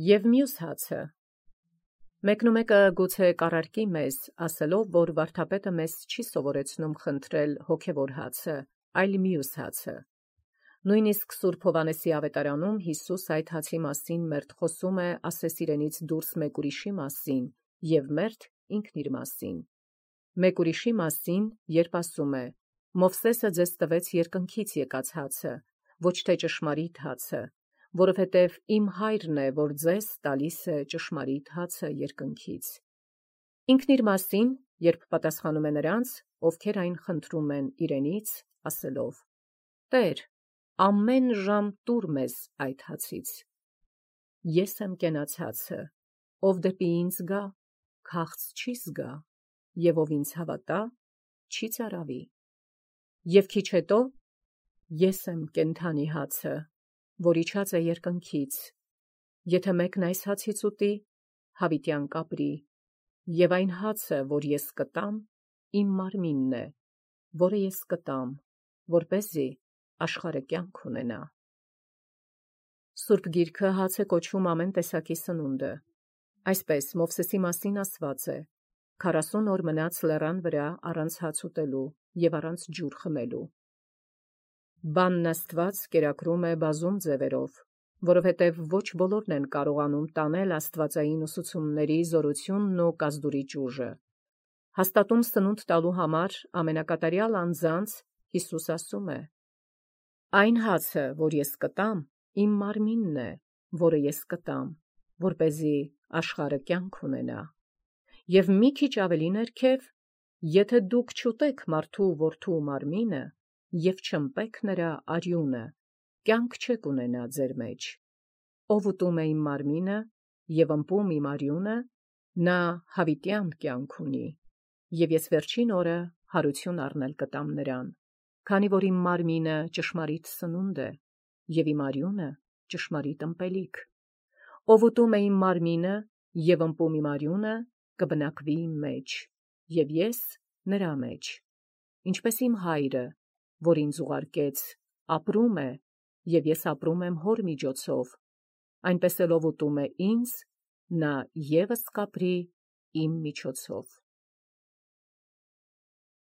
Եվ մյուս հացը։ Մեկնումեկը գուցե կառարկի մեզ, ասելով, որ վարդապետը մեզ չի սովորեցնում խնդրել հոգևոր հացը, այլ մյուս հացը։ Նույնիսկ Սուրբ Հովհաննեսի ավետարանում Յիսուս այդ հացի մասին մերթ խոսում է ասես իրենից դուրս մեկ ուրիշի մասին, և մերթ ինքն իր մասին։ Մեկ ուրիշի մասին, երբ ասում է. «Մովսեսը ձեզ տվեց երկնքից եկած հացը, ոչ թե ճշմարիտ հացը, որովհետև իմ հայրն է, որ ձեզ տալիս է ճշմարիտ հացը երկնքից»։ Ինքն իր մասին, երբ պատասխանում է նրանց, ովքեր այն խնդրում են իրենից, ասելով. «Տեր, ամեն ժամ տուր մեզ այդ հացից։ Ես եմ կենաց հացը, ով դեպի ինձ գա, քաղց չի զգա, և ով ինձ հավատա, չի ծարավի։ Եվ քիչ հետո, ես եմ կենդանի հացը, որ իջած է երկնքից. եթե մեկն այս հացից ուտի, հավիտյան կապրի, և այն հացը, որ ես կտամ, իմ մարմինն է, որը ես կտամ, որպեսզի աշխարհը կյանք ունենա»։ Սուրբ Գիրքը հաց է կոչում ամեն տեսակի սնունդը։ Այսպես Մովսեսի մասին ասված է. 40 օր մնաց լեռան վրա առանց հաց ուտելու և առանց ջուր խմելու։ Բանն Աստված կերակրում է բազում ձևերով, որովհետև ոչ բոլորն են կարողանում տանել աստվածային ուսուցումների զորությունն ու կազդուրի ճուժը։ Հաստատուն սնունդ տալու համար ամենակատարյալ անձանց Յիսուս ասում է. «Այն հացը, որ ես կտամ, իմ մարմինն է, որը ես կտամ, որպեսզի աշխարհը կյանք ունենա»։ Եվ մի քիչ ավելի ներքև. «Եթե դուք չուտեք մարդու որդու մարմինը և չըմպեք նրա արյունը, կյանք չեք ունենա ձեր մեջ։ Ով ուտում է իմ մարմինը և ըմպում իմ արյունը, նա հավիտյան կյանք ունի, և ես վերջին օրը հարություն առնել կտամ նրան, քանի որ իմ մարմինը ճշմարիտ սնունդ է, և իմ արյունը ճշմարիտ ըմպելիք։ Ով ուտում է իմ մարմինը և ըմպում իմ արյունը, կբնակվի իմ մեջ, և ես նրա մեջ։ Ինչպես իմ հայրը, որ ինձ ուղարկեց, ապրում է, և ես ապրում եմ հոր միջոցով, այնպես էլ ով ուտում է ինձ, նա ևս կապրի իմ միջոցով։